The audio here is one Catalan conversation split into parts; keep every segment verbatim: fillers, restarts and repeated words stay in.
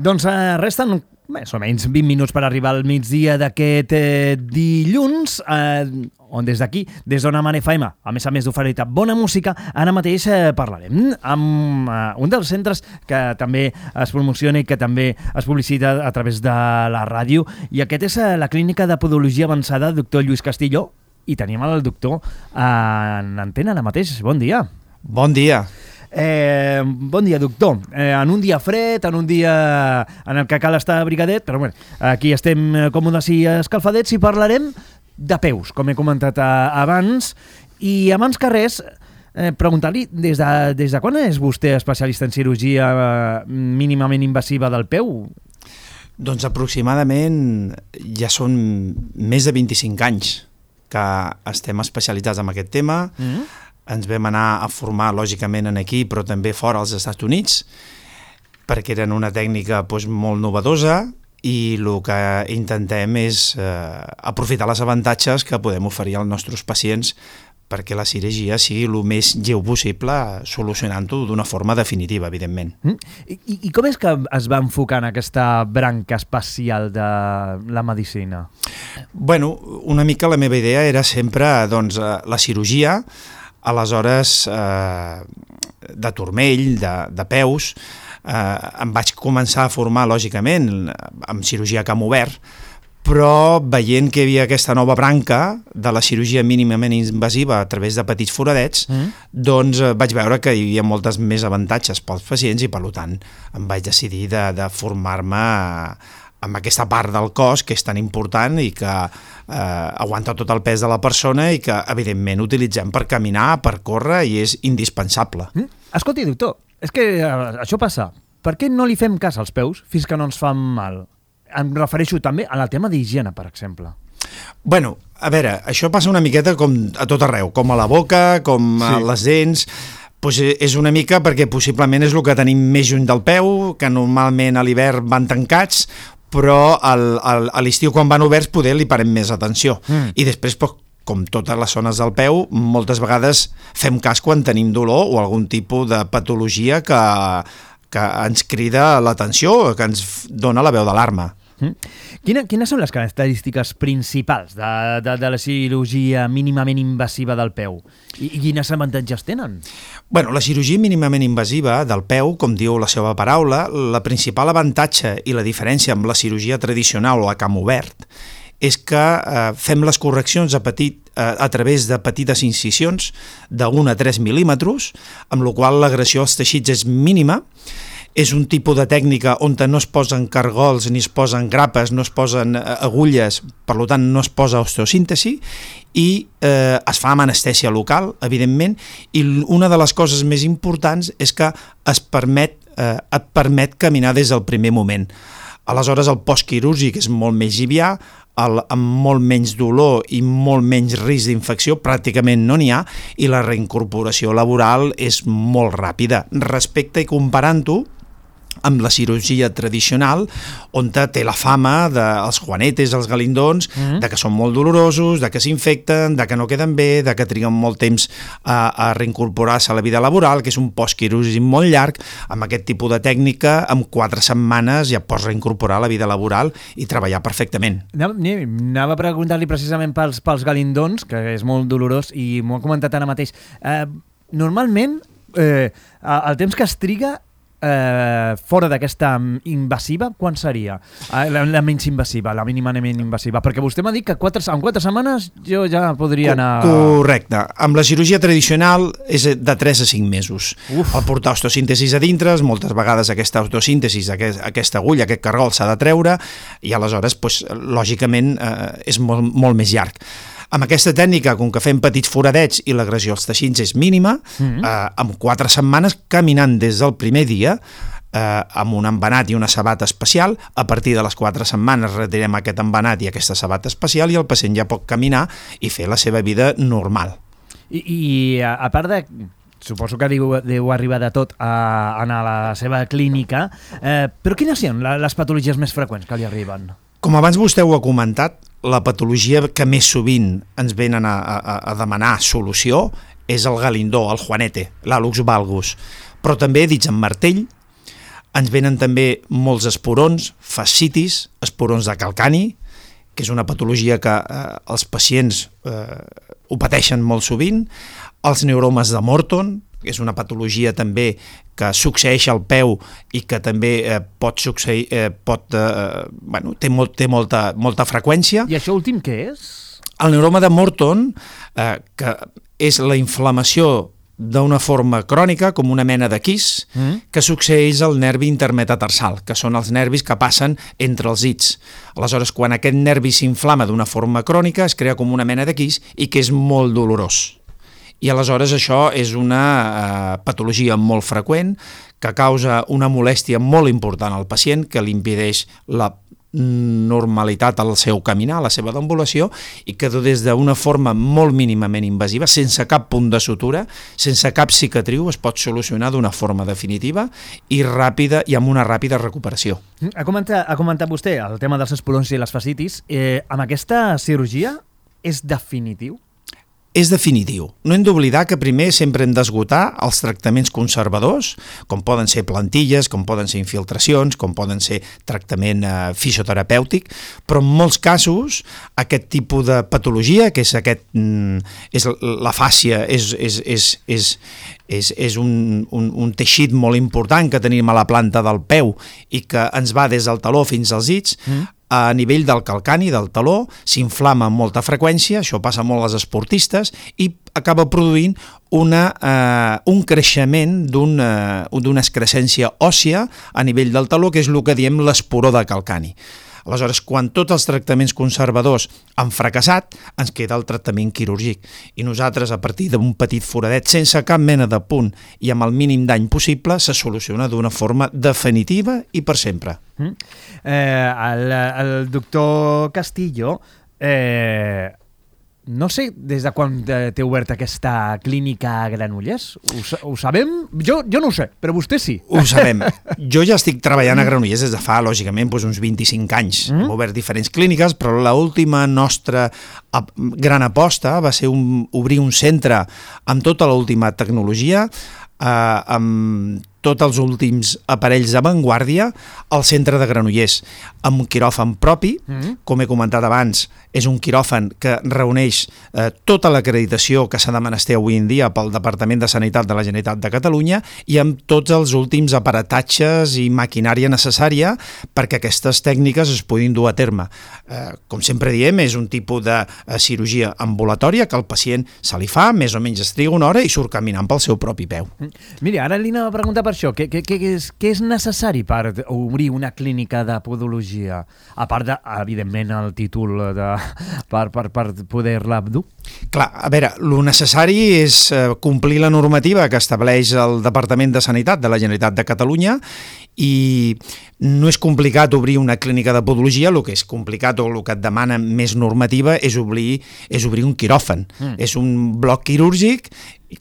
Doncs eh, resten més o menys vint minuts per arribar al migdia d'aquest eh, dilluns, eh, on des d'aquí, des d'Ona Mar F M, a més a més d'oferir-te bona música, ara mateix eh, parlarem amb eh, un dels centres que també es promociona i que també es publicita a través de la ràdio, i aquest és eh, la Clínica de Podologia Avançada, doctor Lluís Castillo, i tenim el doctor en antena ara mateix. Bon dia. Bon dia. Eh, bon dia, doctor. Eh, en un dia fred, en un dia en el que cal estar abrigadet, però bueno, aquí estem còmodes i escalfadets i parlarem de peus, com he comentat abans. I abans que res, eh, preguntar-li, des de, des de quan és vostè especialista en cirurgia mínimament invasiva del peu? Doncs aproximadament ja són més de vint-i-cinc anys que estem especialitzats en aquest tema. Mm-hmm. Ens vam anar a formar, lògicament, en aquí, però també fora als Estats Units, perquè eren una tècnica doncs, molt novedosa, i el que intentem és eh, aprofitar les avantatges que podem oferir als nostres pacients perquè la cirurgia sigui el més lleu possible, solucionant-ho d'una forma definitiva, evidentment. Mm. I, I com és que es va enfocar en aquesta branca especial de la medicina? Bueno, una mica la meva idea era sempre doncs, la cirurgia, aleshores eh, de turmell, de, de peus, eh, em vaig començar a formar, lògicament, amb cirurgia a camp obert, però veient que hi havia aquesta nova branca de la cirurgia mínimament invasiva a través de petits foradets, mm. doncs eh, vaig veure que hi havia moltes més avantatges pels pacients i, per tant, em vaig decidir de, de formar-me amb aquesta part del cos que és tan important i que eh, aguanta tot el pes de la persona i que, evidentment, utilitzem per caminar, per córrer, i és indispensable. Mm? Escolti, doctor, és que eh, això passa. Per què no li fem cas als peus fins que no ens fan mal? Em refereixo també al tema d'higiene, per exemple. Bueno, a veure, això passa una miqueta com a tot arreu, com a la boca, com a sí. les dents. Pues és una mica perquè possiblement és el que tenim més lluny del peu, que normalment a l'hivern van tancats, però al, al, a l'estiu quan van oberts poder li parem més atenció. Mm. I després, pues, com totes les zones del peu, moltes vegades fem cas quan tenim dolor o algun tipus de patologia que, que ens crida l'atenció, que ens dona la veu d'alarma. Mm. Quina, quines són les característiques principals de, de, de la cirurgia mínimament invasiva del peu? I, i quines avantatges tenen? Bueno, la cirurgia mínimament invasiva del peu, com diu la seva paraula, la principal avantatge i la diferència amb la cirurgia tradicional o a camp obert és que eh, fem les correccions a, petit, eh, a través de petites incisions d'un a tres mil·límetres, amb la qual l'agressió als teixits és mínima. És un tipus de tècnica on no es posen cargols, ni es posen grapes, no es posen agulles, per tant no es posa osteosíntesi, i eh, es fa amb anestèsia local, evidentment, i una de les coses més importants és que es permet, eh, et permet caminar des del primer moment. Aleshores el postquirúrgic és molt més llivià, el, amb molt menys dolor i molt menys risc d'infecció, pràcticament no n'hi ha, i la reincorporació laboral és molt ràpida. Respecte i comparant-ho amb la cirurgia tradicional, on té la fama dels juanetes, els galindons, mm-hmm. de que són molt dolorosos, de que s'infecten, de que no queden bé, de que triguen molt temps a, a reincorporar-se a la vida laboral, que és un postquirúrgic molt llarg. Amb aquest tipus de tècnica, en quatre setmanes ja pots reincorporar a la vida laboral i treballar perfectament. Anava a preguntar-li precisament pels, pels galindons, que és molt dolorós, i m'ho ha comentat ara mateix. Eh, normalment, eh, el temps que es triga Eh, fora d'aquesta invasiva, quan seria? Eh, la, la menys invasiva, la mínimament invasiva, perquè vostè m'ha dit que quatre, en quatre setmanes jo ja podria anar... Correcte. Amb la cirurgia tradicional és de tres a cinc mesos. Uf. El portar osteosíntesis a dintre, moltes vegades aquesta osteosíntesis, aquest, aquesta agulla, aquest cargol s'ha de treure, i aleshores, pues, lògicament, eh, és molt, molt més llarg. Amb aquesta tècnica, com que fem petits foradets i l'agressió als teixits és mínima, mm-hmm. eh, amb quatre setmanes, caminant des del primer dia, eh, amb un embenat i una sabata especial, a partir de les quatre setmanes retirem aquest embenat i aquesta sabata especial i el pacient ja pot caminar i fer la seva vida normal. I, i a, a part de... Suposo que deu, deu arribar de tot a, a anar a la seva clínica, eh, però quines són les patologies més freqüents que li arriben? Com abans vostè ho ha comentat, la patologia que més sovint ens venen a, a, a demanar solució és el galindó, el juanete, l'hálux valgus, però també, dits en martell, Ens venen també molts esporons, fascitis, esporons de calcani, que és una patologia que eh, els pacients eh, ho pateixen molt sovint, els neuromes de Morton, que és una patologia també que succeeix al peu i que també eh, pot succeir, eh, pot, eh, bueno, té, molt, té molta, molta freqüència. I això últim què és? El neuroma de Morton, eh, que és la inflamació d'una forma crònica, com una mena de quis, mm. que succeeix al nervi intermetatarsal, que són els nervis que passen entre els dits. Aleshores, quan aquest nervi s'inflama d'una forma crònica, es crea com una mena de quis i que és molt dolorós. I aleshores això és una eh, patologia molt freqüent que causa una molèstia molt important al pacient, que li impedeix la normalitat al seu caminar, a la seva deambulació, i que des d'una forma molt mínimament invasiva, sense cap punt de sutura, sense cap cicatriu, es pot solucionar d'una forma definitiva i ràpida i amb una ràpida recuperació. Ha comentat, ha comentat vostè el tema dels esporons i les fascitis. Eh, amb aquesta cirurgia és definitiu? És definitiu. No hem d'oblidar que primer sempre hem d'esgotar els tractaments conservadors, com poden ser plantilles, com poden ser infiltracions, com poden ser tractament eh, fisioterapèutic, però en molts casos aquest tipus de patologia, que és, aquest, mm, és la fàscia, és, és, és, és, és, és un, un, un teixit molt important que tenim a la planta del peu i que ens va des del taló fins als dits, mm. a nivell del calcani, del taló, s'inflama amb molta freqüència, això passa molt als esportistes, i acaba produint una, eh, un creixement d'una una excrescència òssia a nivell del taló, que és el que diem l'esporó de calcani. Aleshores, quan tots els tractaments conservadors han fracassat, ens queda el tractament quirúrgic. I nosaltres, a partir d'un petit foradet, sense cap mena de punt i amb el mínim dany possible, se soluciona d'una forma definitiva i per sempre. Mm. Eh, el, el doctor Castillo... Eh... No sé des de quan té oberta aquesta clínica a Granollers. Ho, ho sabem? Jo, jo no ho sé, però vostè sí. Ho sabem. Jo ja estic treballant a Granollers des de fa, lògicament, doncs uns vint-i-cinc anys. Mm? Hem obert diferents clíniques, però l'última nostra gran aposta va ser un, obrir un centre amb tota l'última tecnologia, eh, amb tots els últims aparells d'avantguàrdia al centre de Granollers, amb un quiròfan propi, mm. com he comentat abans, és un quiròfan que reuneix eh, tota l'acreditació que s'ha de menester avui en dia pel Departament de Sanitat de la Generalitat de Catalunya i amb tots els últims aparatatges i maquinària necessària perquè aquestes tècniques es puguin dur a terme. Eh, com sempre diem, és un tipus de eh, cirurgia ambulatòria que el pacient se li fa, més o menys es triga una hora i surt caminant pel seu propi peu. Miri, ara li anava a preguntar per això, què, què, què, és, què és necessari per obrir una clínica de podologia? A part de, evidentment, el títol de, per, per, per poder-la dur? Clar, a veure, el necessari és complir la normativa que estableix el Departament de Sanitat de la Generalitat de Catalunya i no és complicat obrir una clínica de podologia, el que és complicat o el que et demana més normativa és obrir, és obrir un quiròfan. Mm. És un bloc quirúrgic,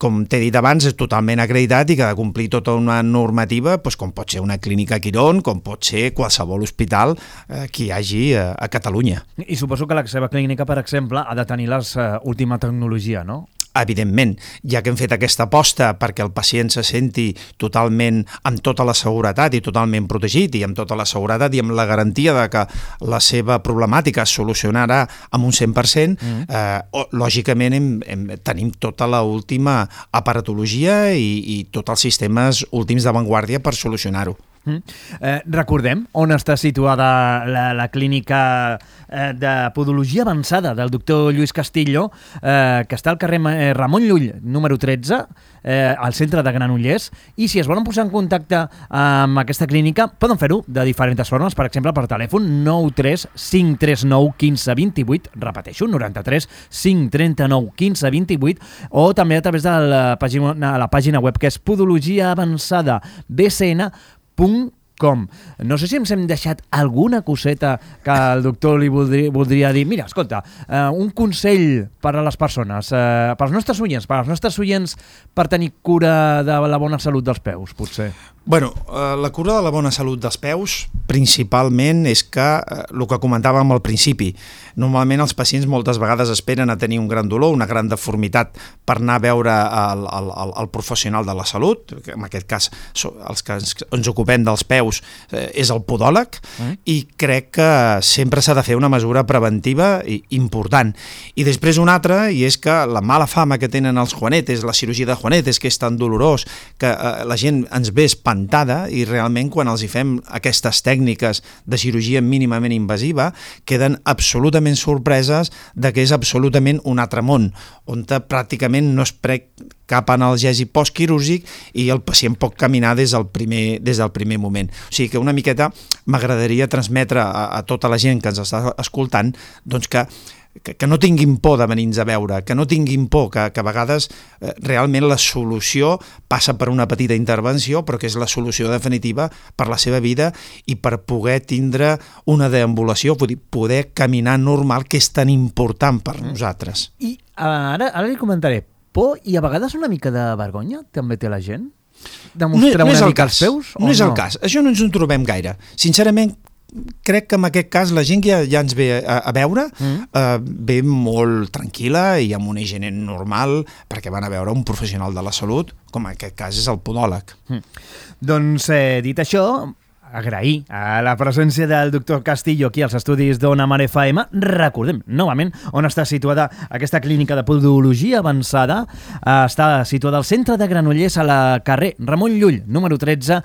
com t'he dit abans, és totalment acreditat i que ha de complir tota una normativa, doncs, com pot ser una clínica Quirón, com pot ser qualsevol hospital eh, que hi hagi a, a Catalunya. I suposo que la seva clínica, per exemple, ha de tenir l'última uh, tecnologia, no? Evidentment, ja que hem fet aquesta aposta perquè el pacient se senti totalment amb tota la seguretat i totalment protegit i amb tota la seguretat i amb la garantia de que la seva problemàtica es solucionarà amb un cent per cent, mm. eh, lògicament hem, hem, tenim tota l'última aparatologia i, i tots els sistemes últims d'avantguàrdia per solucionar-ho. Mm. Eh, recordem on està situada la, la clínica eh, de podologia avançada del doctor Lluís Castillo, eh, que està al carrer Ramon Llull, número tretze, eh, al centre de Granollers, i si es volen posar en contacte amb aquesta clínica poden fer-ho de diferents formes, per exemple per telèfon nou tres cinc tres nou un cinc dos vuit, repeteixo, noranta-tres cinc trenta-nou quinze vint-i-vuit, o també a través de la pàgina, la pàgina web que és podologia avançada b c n punt com. No sé si ens hem deixat alguna coseta que el doctor li voldria, voldria dir. Mira, escolta, eh, un consell per a les persones, eh, per als nostres oients, per als nostres oients per tenir cura de la bona salut dels peus, potser. Bueno, eh, la cura de la bona salut dels peus principalment és que, eh, el que comentàvem al principi, normalment els pacients moltes vegades esperen a tenir un gran dolor, una gran deformitat per anar a veure el, el, el, el professional de la salut, que en aquest cas els que ens, ens ocupem dels peus eh, és el podòleg, mm. i crec que sempre s'ha de fer una mesura preventiva i important. I després una altra, i és que la mala fama que tenen els juanetes, la cirurgia de juanetes, que és tan dolorós, que eh, la gent ens ve espantada i realment quan els hi fem aquestes tècniques de cirurgia mínimament invasiva queden absolutament sorpreses de que és absolutament un altre món, on pràcticament no es pren cap analgèsi postquirúrgic i el pacient pot caminar des del primer, des del primer moment. O sigui que una miqueta m'agradaria transmetre a, a tota la gent que ens està escoltant doncs que Que, que no tinguin por de venir-nos a veure, que no tinguin por, que, que a vegades eh, realment la solució passa per una petita intervenció, però que és la solució definitiva per la seva vida i per poder tindre una deambulació, vull dir, poder caminar normal, que és tan important per nosaltres. I ara, ara li comentaré, por i a vegades una mica de vergonya també té la gent? De mostrar no, no una mica cas. els peus? No és el cas, això no ens en trobem gaire. Sincerament, crec que en aquest cas la gent que ja, ja ens ve a, a veure mm. eh, ve molt tranquil·la i amb una higiene normal perquè van a veure un professional de la salut, com en aquest cas és el podòleg. Mm. Doncs, eh, dit això, agrair a la presència del doctor Castillo aquí als estudis d'Ona Mar F M. Recordem, novament, on està situada aquesta clínica de podologia avançada. Està situada al centre de Granollers, a la carrer Ramon Llull, número tretze,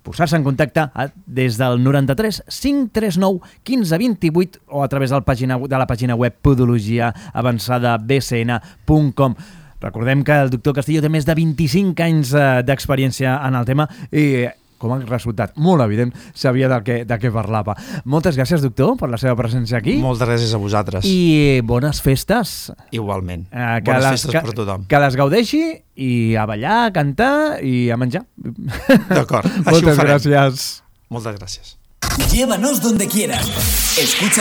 posar-se en contacte a, des del noranta-tres cinc tres nou quinze vint-i-vuit o a través del pàgina, de la pàgina web podologia avançada b c n punt com. Recordem que el doctor Castillo té més de vint-i-cinc anys eh, d'experiència en el tema i com a resultat molt evident sabia de què, de què parlava. Moltes gràcies, doctor, per la seva presència aquí. Moltes gràcies a vosaltres. I bones festes. Igualment. Eh, bones les, festes que, per tothom. Que les gaudeixi i a ballar, a cantar i a menjar. D'acord, així Moltes ho farem. gràcies. Moltes gràcies. Llévanos donde quieras. Escucha